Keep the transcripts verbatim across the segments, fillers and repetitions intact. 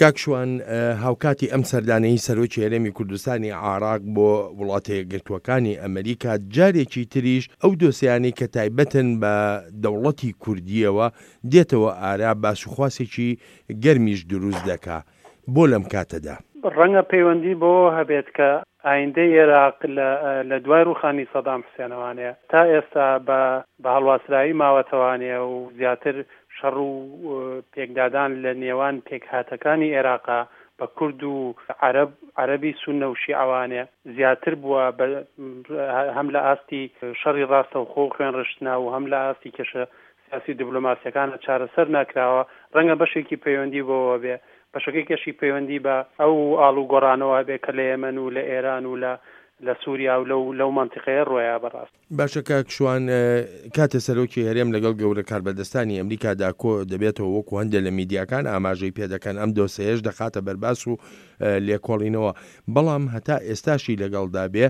کاک شوان، هاوکاتی ئەم سەردانەی سەرۆکی هەرێمی کوردستانی عێراق بۆ وڵاتە یەکگرتووەکانی ئەمریکا، جارێکی تریش ئەو دۆسیانەی کە تایبەتن بە دەوڵەتی کوردییەوە دێتەوە ئارا، باسوخواسێکی گەرمیش دروست دەکا. بۆ لەم کاتەدا؟ ڕەنگە پەیوەندی بەوە هەبێت کە ئایندەی ئێراق لە لە دوای ڕووخانی سەدام حوسێنەوانێ تا ئێستا بە بە هەڵواسراوی ماوەتەوانێ و زیاتر شەڕ و پێکدادان لە نێوان پێکهاتەکانی ئێراقا بە کورد و عەرەب، عەرەبی سوننە و شیعەوانێ زیاتر بووە بە هەم لە ئاستی شەڕی ڕاستەوخۆ و خوێنڕشتنا و هەم لە ئاستی کێشە سیاسی و دیبلۆماسیەکانە چارەسەر ناکراوە. ڕەنگە بەشێکی پەیوەندی بەوە بێ، بەشەکەی کەشی پەیوەندی بە ئەو ئاڵوگۆڕانەوە هەبێ کە لە یەمەن و لە ئێران و لە لە سووریا و لەو لەو مەنتیقەیە ڕۆیا بەڕاست. باشە کاک شوان، کاتێ سەرۆکی هەرێم لەگەڵ گەورە کاربەدەستانی ئەمریکادا کۆ دەبێتەوە، وەکو هەندێ لە میدیاکان ئاماژەی پێدەکەن، ئەم دۆسێیەش دەخاتە بەرباس و لێکۆڵینەوە، بەڵام هەتا ئێستاشی لەگەڵدا بێ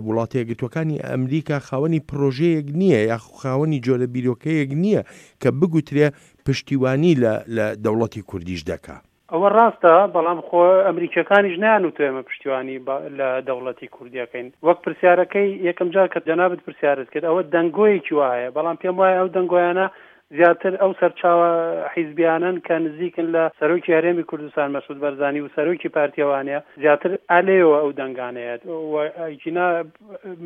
وڵاتە یەکگرتووەکانی ئەمریکا خاوەنی پرۆژەیەک نییە یاخو خاوەنی جۆرە بیرۆکەیەک نییە کە بگوترێ پشتیوانی لە لە دەوڵەتی کوردیش دەکا. ئەوە ڕاستە، بەڵام خۆ ئەمریکییەکانیش نەیانوتووە ئێمە پشتیوانی لە دەوڵەتی کوردی ئەکەین. وەک پرسیارەکەی یەکەم جار کە جەنابت پرسیارت کرد، ئەوە دەنگۆیەکی وا هەیە، بەڵام پێم وایە ئەو دەنگۆیانە زیاتر ئەو سەرچاوە حیزبیانەن کە نزیکن لە سەرۆکی هەرێمی کوردستان مەسعود بەرزانی و سەرۆکی پارتیەوانە، زیاتر ئالێیەوە ئەو دەنگانەیەت و ئەگینا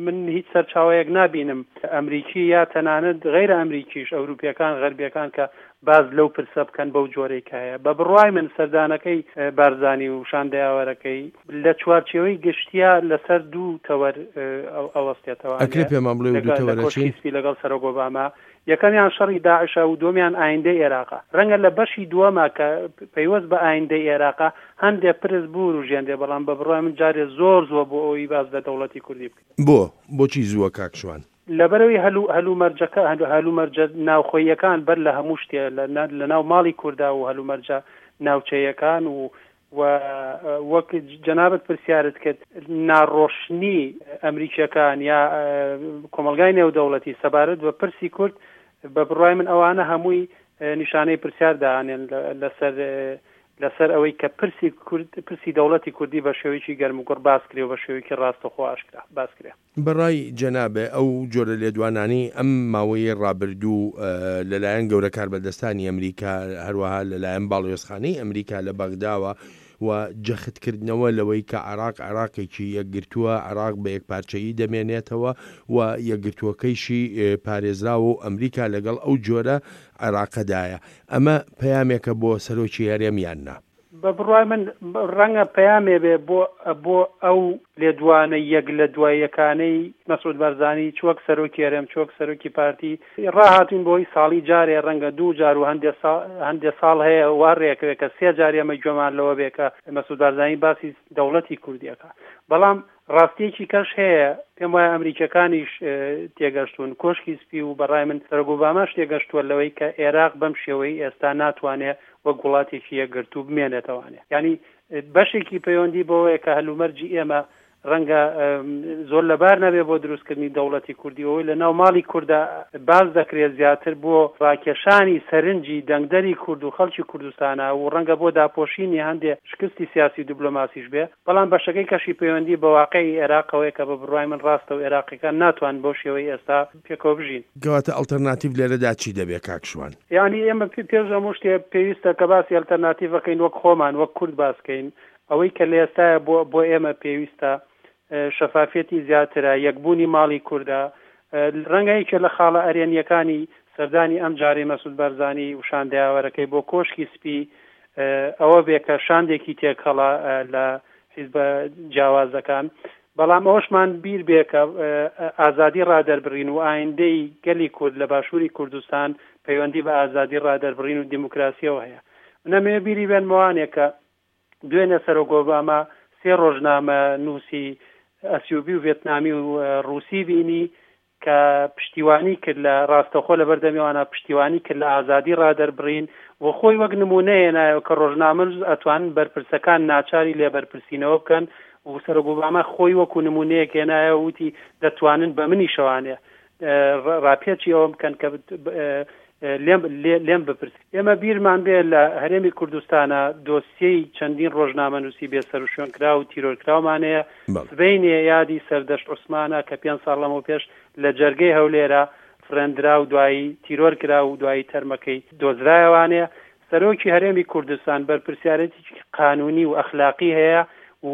من هیچ سەرچاوەیەک نابینم ئەمریکی یا تەنانەت غەیرە ئەمریکیش، ئەوروپیەکان، غەربیەکان کە باس لەو پرسە بکەن بەو جۆرەی کە هەیە. بە بڕوای من سەردانەکەی بارزانی و شاندەیاوەرەکەی لە چوارچێوەی گشتیە لەسەر دوو تەوەر ئەوەستێتەوە. ئەکرێ پێمان بڵێ دوو لە تەوەرە کۆشکی چین؟ سپی لەگەڵ سەرۆک ئۆباما، یەکەمیان شەڕی داعشە و دووەمیان ئایندەی ئێراقە. ڕەنگە لە بەشی دووەما کە پەیوەست بە ئایندەی ئێراقە هەندێک پرس بوروژێنرێ، بەڵام بە بڕوای من جارێ زۆر زووە بۆ ئەوەی باس لە دەوڵەتی کوردی بکەین. بۆ؟ بۆچی زووە کاک شوان؟ لەبەرەوەی هەلو هەلومەرجەکە هەلومەرجە ناوخۆییەکان بەر لە هەموو شتێ لە ناو ماڵی کووردا و هەلومەرجە ناوچەیەکان و و وەک جەنابت پرسیارت کرد ناڕۆشنی ئەمریکیەکان یا کۆمەڵگای نێودەوڵەتی سەبارەت بە پرسی کورد، بە بڕوای من ئەوانە هەمووی نیشانەی پرسیار دانێن لەسەر لەسەر ئەوەی کە پرسی کورد، پرسی دەوڵەتی کوردی بە شێوەیەکی گەرم و گوڕ باس کرێ و بە شێوەیەکی ڕاستەوخۆ ئاشکرا باس کرێ. بەڕای جەنابێ ئەو جۆرە لێدوانانەی ئەم ماوەیەی ڕابردوو لەلایەن گەورە کاربەدەستانی ئەمریکا، هەروەها لەلایەن باڵیۆزخانەی ئەمریکا لە بەغداوە و جەختکردنەوە لەوەی کە عێراق عێراقێکی یەکگرتووە، عێراق بە یەکپارچەیی دەمێنێتەوە و یەکگرتووەکەیشی پارێزراوە و ئەمریکا لەگەڵ ئەو جۆرە عێراقەدایە، ئەمە پەیامێکە بۆ سەرۆکی هەرێم یان نا؟ بە بڕوای من ڕەنگە پەیامێ بێ بۆ بۆ ئەو لێدوانە یەک لە دوای یەکانەی مەسعود بارزانی، چ وەک سەرۆکی هەرێم چ وەک سەرۆکی پارتی ڕاهاتوین بۆی ساڵی جارێ، ڕەنگە دوو جار و هەندێ ساڵ هەندێ ساڵ هەیە وا ڕێکەوێ کە سێ جار ئێمە گوێمان لەوە بێ کە مەسعود بارزانی باسی دەوڵەتی کوردیەکە. بەڵام ڕاستیەکی کەش هەیە، پێم وایە ئەمریکیەکانیش تێگەشتون، کۆشکی سپی و بەڕای من سەرۆک ئۆباماش تێگەشتووە لەوەی کە عێراق بەم شێوەی ئێستا ناتوانێ وەک وڵاتێکی یەکگرتوو بمێنێتەوانێ. یعنی بەشێکی پەیوەندی بەوەیە کە هەلومەرجی ئێمە ڕەنگە زۆر لەبار نەبێ بۆ دروستکردنی دەوڵەتی کوردی، ئەوەی لە ناو ماڵی کووردا باز دەکرێت زیاتر بۆ ڕاکێشانی سەرنجی دەنگدەری کورد و خەڵکی کوردستانە و ڕەنگە بۆ داپۆشینی هەندێک شکستی سیاسی و دیبلۆماسیش بێ، بەڵام بەشەکەی کەشی پەیوەندی بە واقعی عێراقەوەی کە بە بڕوای من ڕاستە و عێراقیەکان ناتوان بەو شێوەی ئێستا پێکەوە بژین. کەواتە ئەڵتەرناتیڤ لێرەدا چی دەبێ کاک شوان؟ یعنی ئێمە پێش هەموو شتێ پێویستە کە باسی ئەلتەرناتیڤەکەین وەک خۆمان وەک کورد باسکەین. ئەوەی کە لە ئێستاە بۆ بۆ ئێمە پێویستە شەفافیەتی زیاترە، یەکبوونی ماڵی کوردە. ڕەنگە یەکێ لە خاڵە ئەرێنیەکانی سەردانی ئەم جارەی مەسعود بارزانی و شاندەیاوەرەکەی بۆ کۆشکی سپی ئەوە بێ کە شاندێکی تێکەڵە لە حیزبە جیاوازەکان، بەڵام ئەوەشمان بیر بێ کە ئازادی ڕادەربڕین و ئایندەی گەلی کورد لە باشووری کوردستان پەیوەندی بە ئازادی ڕادەربڕین و دیموکراسیەوە هەیە. نەمەوێ بیری بێنمەوانێ کە دوێنێ سەرۆک ئۆباما سێ ڕۆژنامە نووسی ئەسیوبی و ڤێتنامی و ڕووسی بینی کە پشتیوانی کرد لە ڕاستەخۆ لە بەردەمیوانە پشتیوانی کرد لە ئازادی ڕادەربڕین و خۆی وەک نمونەیە نایەوە کە ڕۆژنامەنووس ئەتوانن بەرپرسەکان ناچاری لێبەرپرسینەوە بکەن و سەرۆک ئۆباما خۆی وەکو نمونەیەک هێنایەوە وتی دەتوانن بە منیشەوانێ ڕاپێچی ئەوە بکەن کە لێم لێم بپرس. ئێمە بیرمان بێ لە هەرێمی کوردستانە دۆسیەی چەندین ڕۆژنامەنووسی بێسەروشوێنکراو و تیرۆرکراومان هەیە. سبەینێ یادی سەردەشت عوسمانە کە پێنج ساڵ لەمەوپێش لە جەرگەی هەولێرە فڕێندرا و دوایی تیرۆر کرا و دوایی تەرمەکەی دۆزرایەوانەیە. سەرۆکی هەرێمی کوردستان بەرپرسیارێتێکی قانونی و ئەخلاقی هەیە و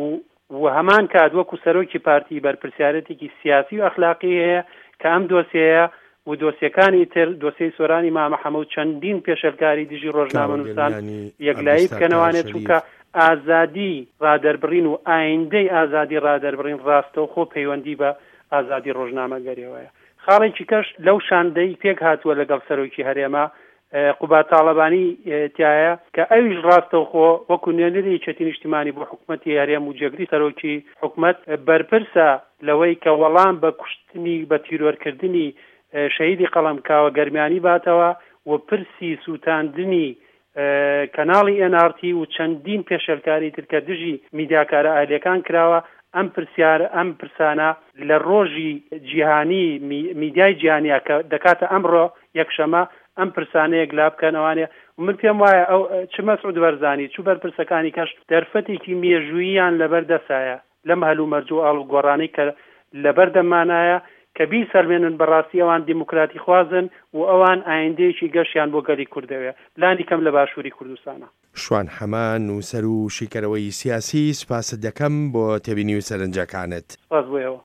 و هەمان کات وەکو سەرۆکی پارتی بەرپرسیارێتێکی سیاسی و ئەخلاقی هەیە کە ئەم دۆسیەیە و دۆسیەکانی تر، دۆسیەی سۆرانی مامە حەمە و چەندین پێشێلکاری دژی ڕۆژنامەنووسان یەکلایی بکەنەوانێت، چونکە ئازادی ڕادەربڕین و ئایندەی ئازادی ڕادەربڕین ڕاستەوخۆ پەیوەندی بە ئازادی ڕۆژنامەگەریەوەیە. خاڵێکی کەش لەو شاندەی پێک هاتووە لەگەڵ سەرۆکی هەرێمە قوباد تاڵەبانی تایە کە ئەویش ڕاستەوخۆ وەکو نوێنەری یەکێتی نیشتیمانی بۆ حکومەتی هەرێم و جێگری سەرۆکی حکومەت بەرپرسە لەوەی کە وەڵام بە کوشتنی بە تیرۆرکردنی شەهیدی قەڵەم کاوە گەرمیانی باتەوە و پرسی سووتاندنی کەناڵی ئێن ئاڕ تی و چەندین پێشێلکاری تر کە دژی میدیاکارە ئەهلیەکان کراوە، ئەم پرسیار ئەم پرسانە لە ڕۆژی جیهانی میدیای جیهانیە کە دەکاتە ئەمڕۆ یەکشەمە ئەم پرسانە یەکلا بکەنەوانێ و من پێم وایە ئەو چ مەسعود بەرزانی چ بەرپرسەکانی کەش دەرفەتێکی مێژووییان لەبەر دەسایە لەم هەلومەرج و ئاڵوگۆڕانەی کە لەبەر دەممانایە کە بیسەلمێنن بەڕاستی ئەوان دیموکراتیخوازن و ئەوان ئایندەیەکی گەشیان بۆ گەلی کورد دەوێ لانی کەم لە باشووری کوردستانا. شوان حەمە، نووسەر و شیکەرەوەی سیاسی، سوپاست دەکەم بۆ تێبینی و سەرنجەکانت. سوپاس بۆ ئێوە.